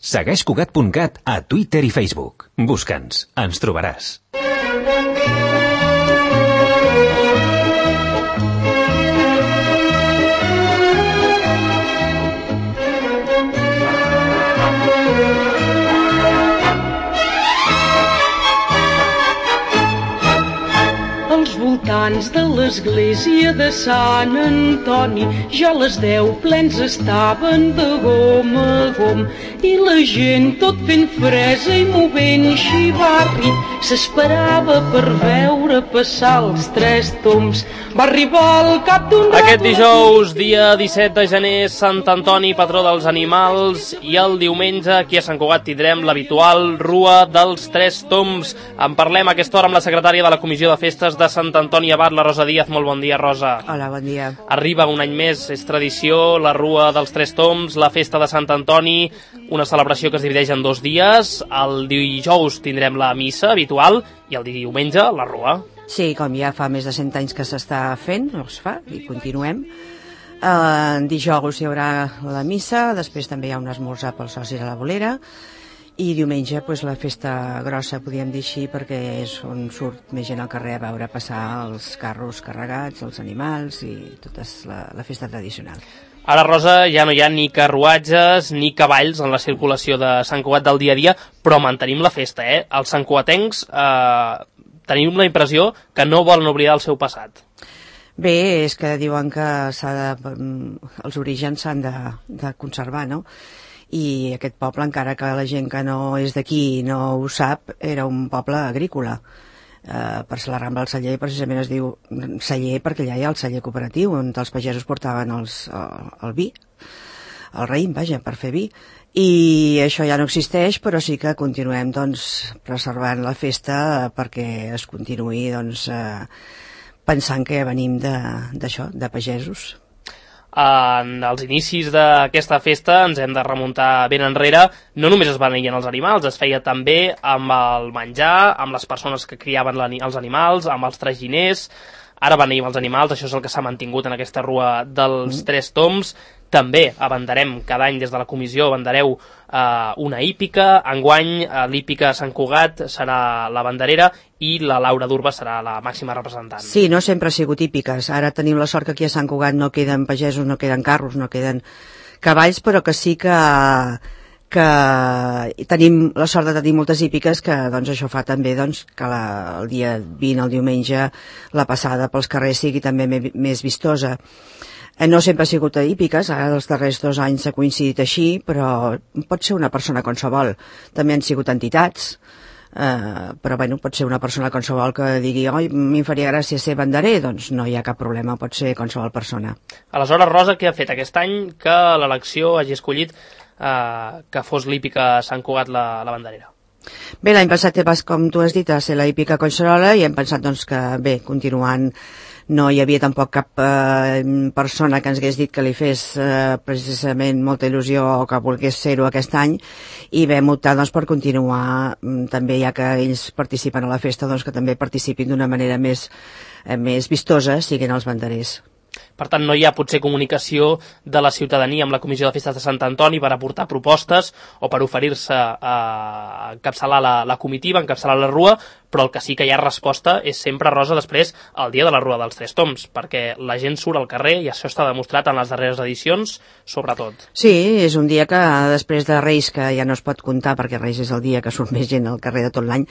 Segueix Cugat.cat a Twitter i Facebook. Busca'ns, ens trobaràs. Als voltants de l'església de Sant Antoni ja les 10 plens estaven de gom a gom i la gent tot fent fresa i movent xivarri s'esperava per veure passar els 3 tombs. Va arribar al cap d'un rato... Aquest dijous, dia 17 de gener, Sant Antoni, patró dels animals, i el diumenge aquí a Sant Cugat tindrem l'habitual Rua dels 3 tombs. En parlem a aquesta hora amb la secretària de la Comissió de Festes de Sant Antoni Abat, la Rosa Díaz. Molt bon dia, Rosa. Hola, bon dia. Arriba un any més, és tradició, la Rua dels 3 tombs, la festa de Sant Antoni, una celebració que es divideix en 2 dies. El dijous tindrem la missa habitual i el diumenge la Rua. Sí, com ja fa més de 100 anys que s'està fent, es fa, i continuem. Dijous hi haurà la missa, després també hi ha un esmorzar pels socis a la bolera, i diumenge pues, la festa grossa, podríem dir així, perquè és on surt més gent al carrer a veure passar els carros carregats, els animals i tota la festa tradicional. Ara, Rosa, ja no hi ha ni carruatges ni cavalls en la circulació de Sant Cugat del dia a dia, però mantenim la festa, eh? Els santcugatencs tenim la impressió que no volen oblidar el seu passat. Bé, és que diuen que els orígens s'han de conservar, no? I aquest poble, encara que la gent que no és d'aquí no ho sap, era un poble agrícola. Per la Rambla del Celler precisament es diu celler perquè allà hi ha el celler cooperatiu on els pagesos portaven el vi, el raïm, vaja, per fer vi, i això ja no existeix, però sí que continuem doncs, preservant la festa perquè es continuï doncs, pensant que venim d'això, de pagesos. En els inicis d'aquesta festa ens hem de remuntar ben enrere. No només es beneïen els animals, es feia també amb el menjar, amb les persones que criaven els animals, amb els traginers. Ara beneïm els animals, això és el que s'ha mantingut en aquesta Rua dels 3 tombs. També abanderem, cada any des de la comissió abandereu una hípica. Enguany l'hípica Sant Cugat serà la banderera i la Laura d'Urba serà la màxima representant. Sí, no sempre ha sigut hípiques. Ara tenim la sort que aquí a Sant Cugat no queden pagesos, no queden carros, no queden cavalls, però que sí que tenim la sort de tenir moltes hípiques, que doncs, això fa també doncs, que el dia 20, el diumenge, la passada pels carrers sigui també més vistosa. No sempre ha sigut a hípiques, ara els darrers 2 anys s'ha coincidit així, però pot ser una persona qualsevol. També han sigut entitats, però bueno, pot ser una persona qualsevol que digui oi, m'hi faria gràcia ser banderer, doncs no hi ha cap problema, pot ser qualsevol persona. Aleshores, Rosa, què ha fet aquest any que l'elecció hagi escollit que fos l'hípica Sant Cugat la banderera? Bé, l'any passat, com tu has dit, va ser la hípica Collserola i hem pensat doncs, que bé, continuant, no hi havia tampoc cap persona que ens hagués dit que li fes precisament molta il·lusió o que volgués ser-ho aquest any, i vam optar doncs, per continuar també, ja que ells participen a la festa, doncs, que també participin d'una manera més vistosa, siguin els banderers. Per tant, no hi ha potser comunicació de la ciutadania amb la Comissió de Festes de Sant Antoni per aportar propostes o per oferir-se a encapçalar la comitiva, encapçalar la Rua, però el que sí que hi ha resposta és sempre, Rosa, després el dia de la Rua dels 3 tombs, perquè la gent surt al carrer i això està demostrat en les darreres edicions, sobretot. Sí, és un dia que després de Reis, que ja no es pot comptar perquè Reis és el dia que surt més gent al carrer de tot l'any,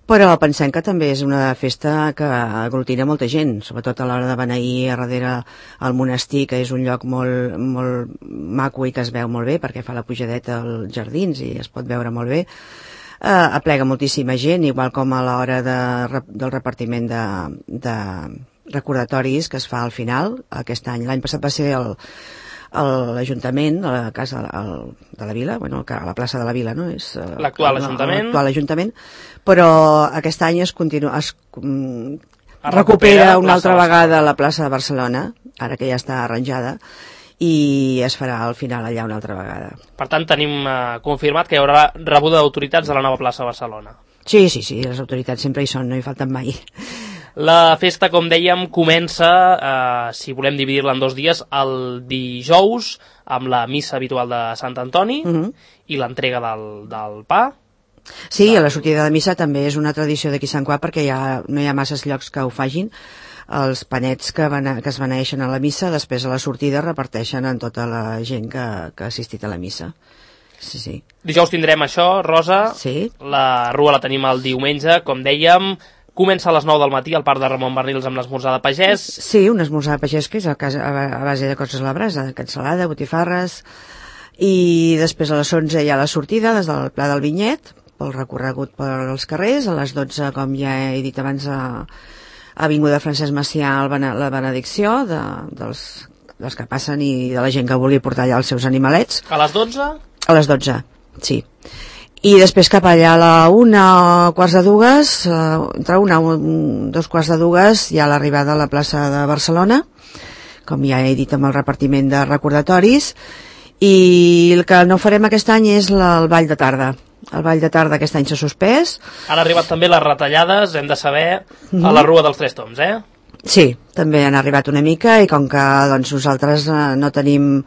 però pensem que també és una festa que aglutina molta gent, sobretot a l'hora de beneir a darrere al monestir, que és un lloc molt, molt maco i que es veu molt bé perquè fa la pujadeta als jardins i es pot veure molt bé. Aplega moltíssima gent, igual com a l'hora del repartiment de recordatoris que es fa al final. Aquest any, l'any passat va ser l'Ajuntament, a la casa de la Vila, bueno, a la plaça de la Vila, no? És l'actual Ajuntament, però aquest any es recupera una altra vegada la plaça de Barcelona, ara que ja està arranjada, i es farà al final allà una altra vegada. Per tant, tenim confirmat que hi haurà rebuda d'autoritats de la nova plaça de Barcelona. Sí, les autoritats sempre hi són, no hi falten mai. La festa, com dèiem, comença, si volem dividir-la en 2 dies, el dijous, amb la missa habitual de Sant Antoni i l'entrega del pa. Sí, a la sortida de missa també és una tradició d'aquí Sant Cugat, perquè no hi ha masses llocs que ho fagin. Els panets que es beneeixen a la missa, després a la sortida reparteixen en tota la gent que ha assistit a la missa. Sí, sí. Dijous tindrem això, Rosa. Sí. La rua la tenim el diumenge, com dèiem. Comença a les 9 del matí al Parc de Ramon Barnils amb l'esmorzar de pagès. Sí, un esmorzar de pagès que és a base de coses a la brasa, de cansalada, botifarres, i després a les 11 hi ha la sortida des del Pla del Vinyet, pel recorregut pels carrers. A les 12, com ja he dit abans, a Avinguda Francesc Macià la benedicció dels que passen i de la gent que vulgui portar allà els seus animalets. A les 12? A les 12, sí. I després cap allà a la 1:15, entre 2:15 hi ha l'arribada a la plaça de Barcelona, com ja he dit, amb el repartiment de recordatoris, i el que no farem aquest any és el ball de tarda. El ball de tarda aquest any s'ha suspès. Han arribat també les retallades, hem de saber, a la Rua dels Tres Tombs, eh? Sí, també han arribat una mica, i com que doncs, nosaltres no tenim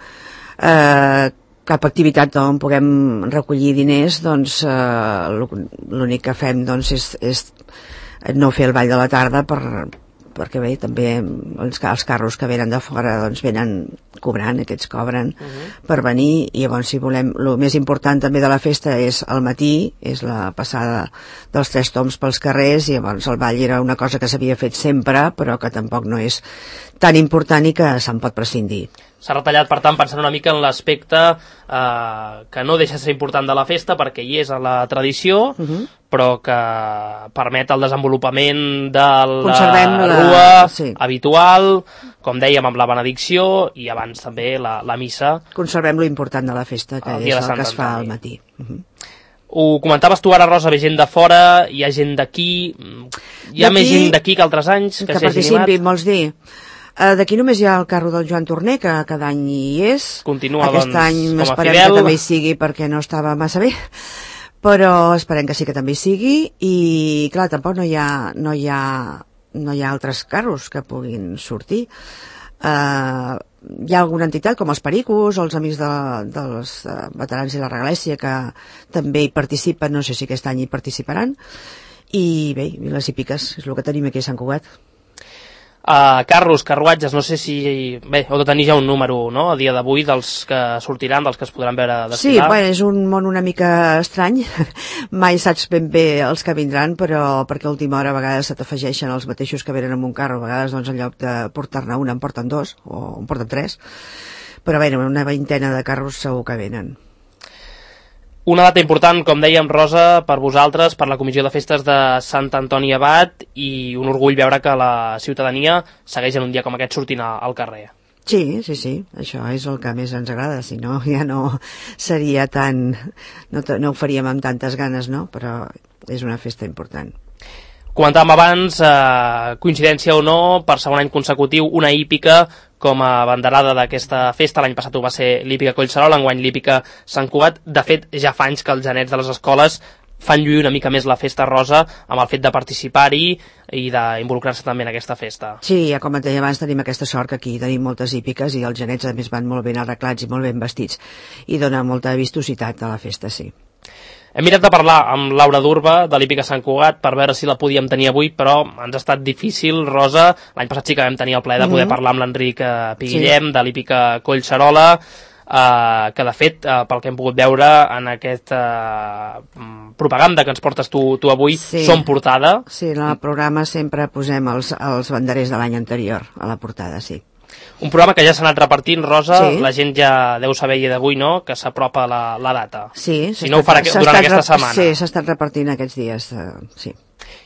cap activitat on puguem recollir diners, doncs l'únic que fem doncs, és no fer el ball de la tarda perquè bé, també els carros que venen de fora doncs venen cobrant, aquests cobren per venir, i llavors si volem, el més important també de la festa és al matí, és la passada dels Tres Tombs pels carrers, i llavors el ball era una cosa que s'havia fet sempre però que tampoc no és tan important i que se'n pot prescindir. S'ha retallat, per tant, pensant una mica en l'aspecte que no deixa de ser important de la festa, perquè hi és a la tradició, però que permet el desenvolupament de la rua habitual, com dèiem, amb la benedicció, i abans també la missa. Conservem lo important de la festa, que és el que es fa al matí. Ho comentaves tu ara, Rosa, ve gent de fora, hi ha gent d'aquí, hi ha més gent d'aquí que altres anys que s'hi hagi animat? Que participi, vols dir? D'aquí només hi ha el carro del Joan Torner, que cada any hi és. Continua, aquest any esperem que també hi sigui, perquè no estava massa bé, però esperem que sí que també hi sigui, i clar, tampoc no hi ha altres carros que puguin sortir. Hi ha alguna entitat com els Pericos o els Amics dels Veterans i la Regalèssia que també hi participen, no sé si aquest any hi participaran, i bé, Viles i Piques és el que tenim aquí a Sant Cugat. Carros, carruatges, no sé si... Bé, heu de tenir ja un número, no?, a dia d'avui, dels que sortiran, dels que es podran veure desfilar. Sí, bé, és un món una mica estrany. Mai saps ben bé els que vindran, però perquè a última hora a vegades se t'afegeixen els mateixos que venen amb un carro. A vegades, doncs, en lloc de portar-ne un, en porten 2, o en porten 3. Però bé, una veintena de carros segur que venen. Una data important, com dèiem, Rosa, per vosaltres, per la Comissió de Festes de Sant Antoni Abat, i un orgull veure que la ciutadania segueix en un dia com aquest sortint al carrer. Sí, això és el que més ens agrada, si no ja no seria tan... no ho faríem amb tantes ganes, no? Però és una festa important. Comentàvem abans, coincidència o no, per segon any consecutiu, una hípica com a banderada d'aquesta festa. L'any passat ho va ser l'hípica Collserola, enguany l'hípica Sant Cugat. De fet, ja fa anys que els genets de les escoles fan lluir una mica més la festa, Rosa, amb el fet de participar-hi i d'involucrar-se també en aquesta festa. Sí, ja com et deia abans, tenim aquesta sort que aquí tenim moltes hípiques i els genets a més van molt ben arreglats i molt ben vestits, i dona molta vistositat a la festa, sí. Hem mirat de parlar amb Laura Durba, de l'hípica Sant Cugat, per veure si la podíem tenir avui, però ens ha estat difícil, Rosa. L'any passat sí que vam tenir el plaer de poder parlar amb l'Enric Piguillem, de l'hípica Collserola, que de fet, pel que hem pogut veure en aquesta propaganda que ens portes tu avui, són portada. Sí, en el programa sempre posem els banderers de l'any anterior a la portada, sí. Un programa que ja s'ha anat repartint, Rosa, la gent ja deu saber d'avui, no?, que s'apropa la data. Sí, si no ho farà durant aquesta setmana. Sí, s'ha estat repartint aquests dies, sí.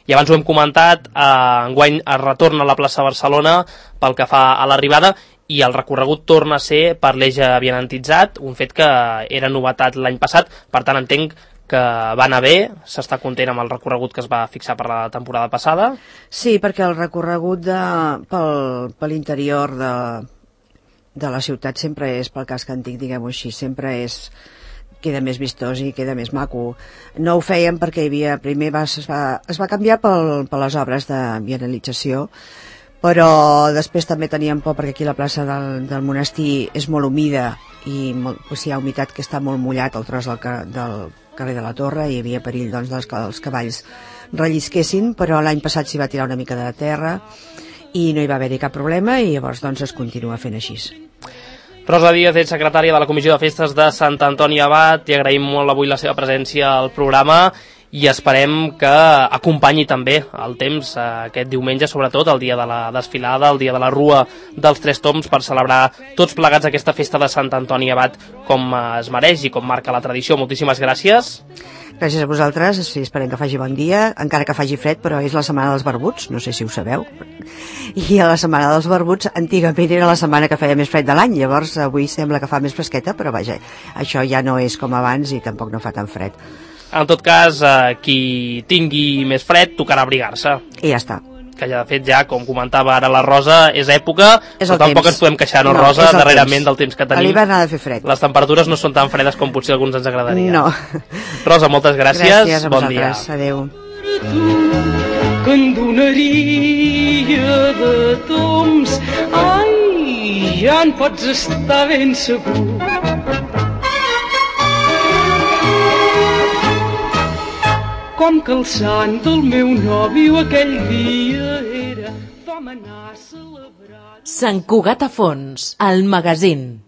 I abans ho hem comentat, enguany es retorna a la plaça Barcelona pel que fa a l'arribada, i el recorregut torna a ser per l'eix avianantitzat, un fet que era novetat l'any passat, per tant entenc que va anar bé, s'està content amb el recorregut que es va fixar per la temporada passada. Sí, perquè el recorregut per l'interior de la ciutat sempre és, pel casc antic, diguem-ho així, sempre és queda més vistós i queda més maco. No ho fèiem perquè primer es va canviar per les obres de vianalització, però després també teníem por perquè aquí la plaça del monestir és molt humida i hi ha humitat, que està molt mullat el tros del carrer de la Torre, i hi havia perill doncs, que els cavalls rellisquessin, però l'any passat s'hi va tirar una mica de terra i no hi va haver-hi cap problema, i llavors doncs es continua fent així. Rosa Díaz, ets secretària de la Comissió de Festes de Sant Antoni Abat, i agraïm molt avui la seva presència al programa i esperem que acompanyi també el temps aquest diumenge, sobretot el dia de la desfilada, el dia de la Rua dels Tres Tombs, per celebrar tots plegats aquesta festa de Sant Antoni Abat com es mereix i com marca la tradició. Moltíssimes gràcies. Gràcies a vosaltres, esperem que faci bon dia, encara que faci fred, però és la setmana dels barbuts, no sé si ho sabeu. I a la setmana dels barbuts antigament era la setmana que feia més fred de l'any, llavors avui sembla que fa més fresqueta, però vaja, això ja no és com abans i tampoc no fa tan fred. En tot cas, qui tingui més fred tocarà abrigar-se. I ja està. Que ja, de fet, ja, com comentava ara la Rosa, és època, però tampoc ens podem queixar, no, Rosa, darrerament del temps que tenim. A l'hivern ha de fer fred. Les temperatures no són tan fredes com potser alguns ens agradaria. No. Rosa, moltes gràcies. Gràcies a bon dia. Adéu. Que en donaria de tombs, ai, ja en pots estar ben segur. Com que el sant del meu nòvio aquell dia era, vam anar a celebrar... Sant Cugat a Fons, el magazín.